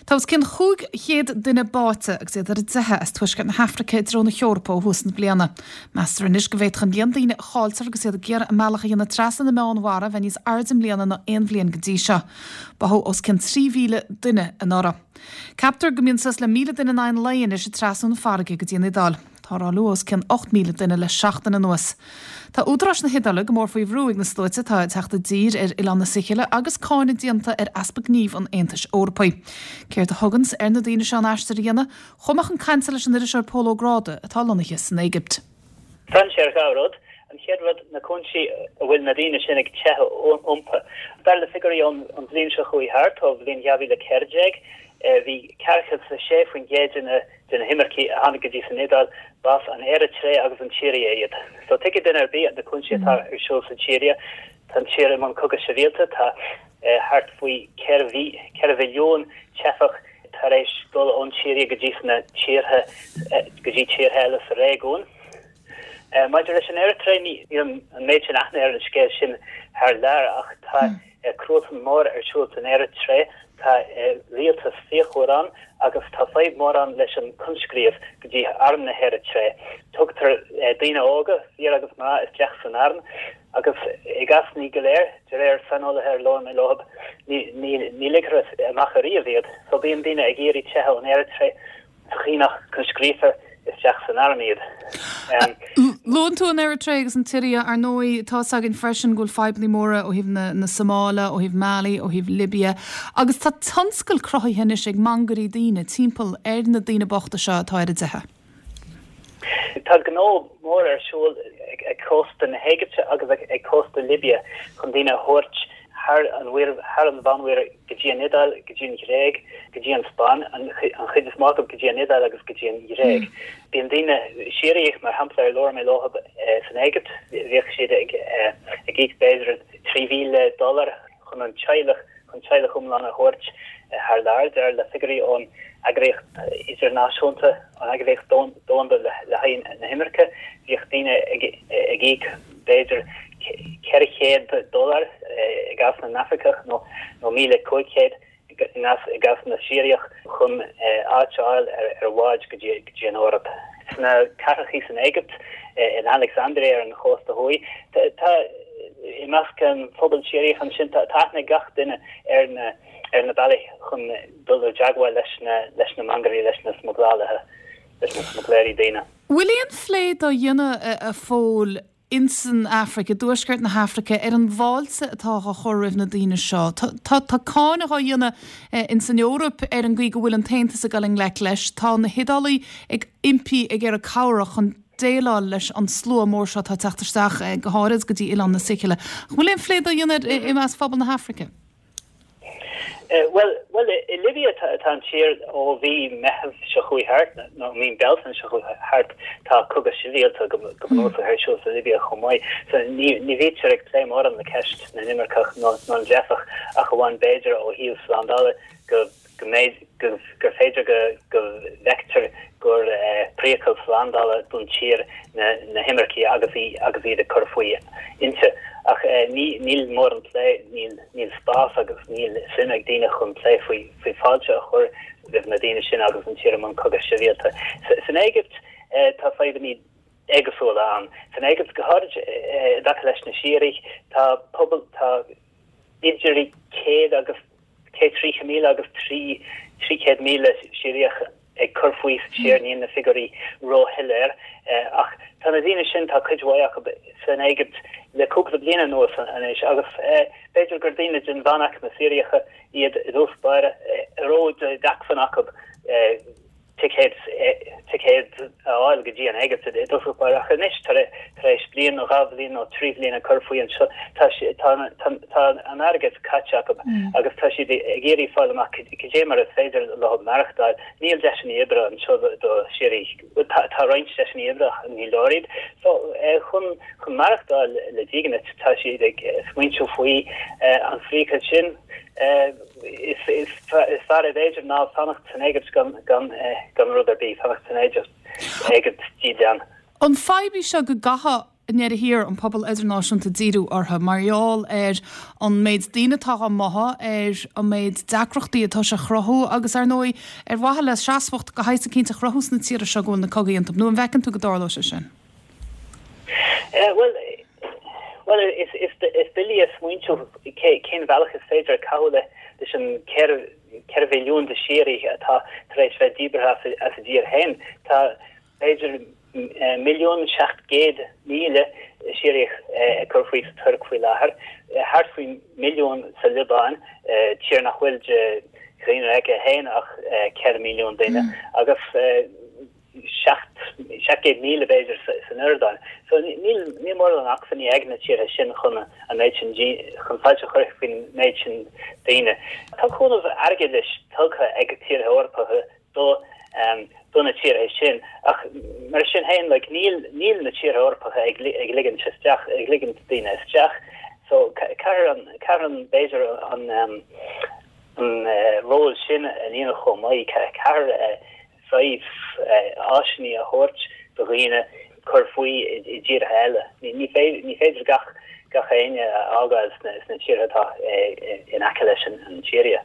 Tá os cionn 500 duine báite agus iad ar a dteitheadh as tuaisceart na hAfraice i dtreo na hEorpa ó thús na bliana. Meastar anois go bhféadfadh an líon daoine a chailltear agus iad ag iarraidh a mbealach a dhéanamh trasna na Meánmhara bheith níos airde i mbliana ná aon bhliain go dtí seo. Báthadh os cionn 3,000 duine anuraidh. Ceaptar go mbíonn suas le 1,000 duine in aghaidh an lae anois ag trasnú na farraige go dtí an Iodáil. Tarlaíonn os cionn 8,000 duine le seachtain anuas. Tá údaráis na hIodáile go mór faoi bhrú ag na sluaite atá ag teacht i dtír ar oileán na Sicile agus cáineadh déanta ar easpa gnímh an Aontais Eorpaigh. Céard a thuganns ar na daoine seo an aistear a dhéanamh? Chuaigh mé chun cainte leis an iriseoir Pól Ó Gráda atá lonnaithe san Éigipt. Braitheann sé ar dhá rud. An chéad rud, na cúinsí a bhfuil na daoine sin ag teitheadh uathu. Dar le figiúirí ón bhliain seo chuaigh thart, ó bhliain 2014, bhí 46% de na De na himircigh a tháinig go dtí san Iodáil, b'as an Eiritré agus an tSiria iad. So tuigfidh duine ar bith na cúinsí atá ar siúl sa tSiria. Tá an tír i mbun cogadh sibhialta, tá thart faoi 4 mhilliún teifeach tar éis dul ón tSiria go dtí sna tíortha, go dtí tíortha eile sa réigiún. Maidir leis an Eiritré, níl an méid sin aithne ar an scéal sin thar lear ach tá cruatan mór ar siúl san Eiritré, tá rialtas fíochmhar ann agus tá fadhb mór ann leis an coinscríobh go dtí arm na hEiritré. Tugtar daoine óga, fir agus mná, isteach san arm agus i gcásanna go léir, de réir saineolaithe ar labhair mé leo, ní ligtear amach ariamh iad. So bíonn daoine ag iarraidh teitheadh ón Eiritré. Sa chaoi nach coinscríofar isteach san arm iad. Luann tú an Eiritré agus an tSiria. Ar ndóigh, tá 'fhios againn freisin go bhfuil fadhbanna móra ó thaobh na Somáile, ó thaobh Mali, ó thaobh Libia. Agus tá tionscal cruthaithe anois ag mangairí daoine timpeall ar na daoine bochta seo atá ar a dteitheadh. Tá gnó mór ar siúl ag cósta na hÉigipte agus ag cósta Libia chun daoine a thabhairt thar an thar an Mheánmhuir go dtí an Iodáil, go dtí an Ghréig, go dtí an Spáinn, an chuid is mó acu go dtí an Iodáil agus go dtí an Ghréig. Bíonn daoine, Síriaigh mar shampla ar labhair mé leo san Éigipt, bhíodh siad ag íoc b'fhéidir 3,000 dollar chun an teaghlach, chun teaghlach iomlán a thabhairt thar lear, dar le figiúirí ón eagraíocht idirnáisiúnta, an Eagraíocht Domhanda le haghaidh na hImirce, bhíodh daoine ag íoc b'fhéidir 400 dollar i gcás na nAfracach nó 1,500 i gcás na Síriach chun áit a fháil ar bhád go dtí an Eoraip. Sna cathrachaí san Éigipt, in Alexandria ar an chósta thuaidh, tá i measc an phobail Síriach ansin, tá aithne ag gach duine ar na ar na bealaí chun dul i dteagmháil leis na leis na mangairí, leis na smuglálaithe, leis na smugléirí daoine. Bhfuil aon phlé dá dhéanamh, a Phóil, ins an Afraic, i dtuaisceart na hAfraice, ar an bhfáilte atá dhá chur roimh na daoine seo? Tá tá cáineadh á dhéanamh ins an Eoraip ar an gcaoi go bhfuil an tAontas ag dul i ngleic leis. Tá na hIodálaigh ag impí ag iarraidh cabhrach chun déileáil leis an slua mór seo atá ag teacht isteach, go háirid go dtí oileán na Sicile. An bhfuil aon phlé dá dhéanamh i measc phobal na hAfraice? Bhuel, bhuel, i Libia tá an tír ó mhí Meitheamh seo chuaigh thart, nó mí Bealtaine seo chuaigh thart, tá cogadh sibhialta go bunúsach ar siúl sa Libia chomh maith. So ní, ní bhítear ag plé mórán le ceist na n-imirceach nó na dteifeach ach amháin b'fhéidir ó thaobh slándála go, go mbeidh, go, gur féidir go, go bhfeictear gur priacal slándála don tír na, na himircigh agus í, agus iad ag cur faoi inti. Ach ní, níl mórán plé, níl, níl spás agus níl suim ag daoine chun plé faoi, faoi fáilte a chur roimh na daoine sin agus an tír i mbun cogadh sibhialta. San Éigipt tá fadhbanna éagsúla ann. San Éigipt go háirid i dtaca leis na Sírigh, tá pobal, tá idir 100 agus 130,000 agus 300,000 Síriach ag cur faoi sa tír, níl na figiúirí róshoiléir, ach tá na daoine sin, tá cuid mhaith acu san Éigipt le cúpla bliain anuas anois agus b'fhéidir gur daoine den mheánaicme Síriacha iad i dtús báire a raibh d'acmhainn acu ticéad ticéad a fháil go dtí an Éigipt i dtosach báire ach anois tar éis bliain nó dhá bhliain nó trí bhliain ag cur faoi anseo tá tá tá an airgead caite acu agus tá siad ag iarraidh fáil amach cad é mar is féidir leo maireachtáil. Níl deiseanna oibre anseo do Shíriaigh. Tá tá roinnt deiseanna oibre ach ní leor iad. So chun chun maireachtáil le dínit tá siad ag smaointiú faoi an phriacal sin. Is fearr é b'fhéidir ná fanacht san Éigipt gan rud ar bith, fanacht san Éigipt dídean. An fadhb í seo go gcaithfeadh. i ndeireadh thiar, an pobal idirnáisiúnta díriú orthu mar gheall ar an méid daoine atá á mbáthadh, ar an méid deacrachtaí atá sé a chruthú agus, ar ndóigh, ar mhaithe le seasmhacht de shaghas eicínt a chruthú sna tíortha seo go bhfuil na cogaí iontu. Nó an bhfeiceann tú go dtarlóidh sé sin? Bhuel, bhuel, is, is, is doiligh a smaointiú cén bhealach is féidir caitheamh leis an 4 mhilliún de Shíriaigh atá tar éis bheith díbeartha as a dtír féin. Tá. B'fhéidir 1,700,000 Síriach ag cur faoi sa Tuirc faoi láthair, thart faoi mhilliún sa Liobáin, tír nach bhfuil de dhaonra aici féin ach 4 milliún duine, agus 700,000 b'fhéidir san Iordáin. So níl níl mórán acmhainní ag na tíortha sin chun an méid sin chun fáilte a chur faoin méid sin daoine. Tá cúnamh airgeadais tugtha ag tíortha Eorpacha do do na tíortha sin. Ach mar sin féin, like, níl níl na tíortha Eorpacha ag ag ligint isteach ag ligint daoine isteach. So caithfear an caithfear an b'fhéidir an an ról sin a líonadh chomh maith. Caithfear saghas áiseanna a thabhairt do dhaoine cur faoi i dtíortha eile. Ní féidir ní féidir gach gach éinne a fhágáil sna sna tíortha atá in aice leis an tSiria.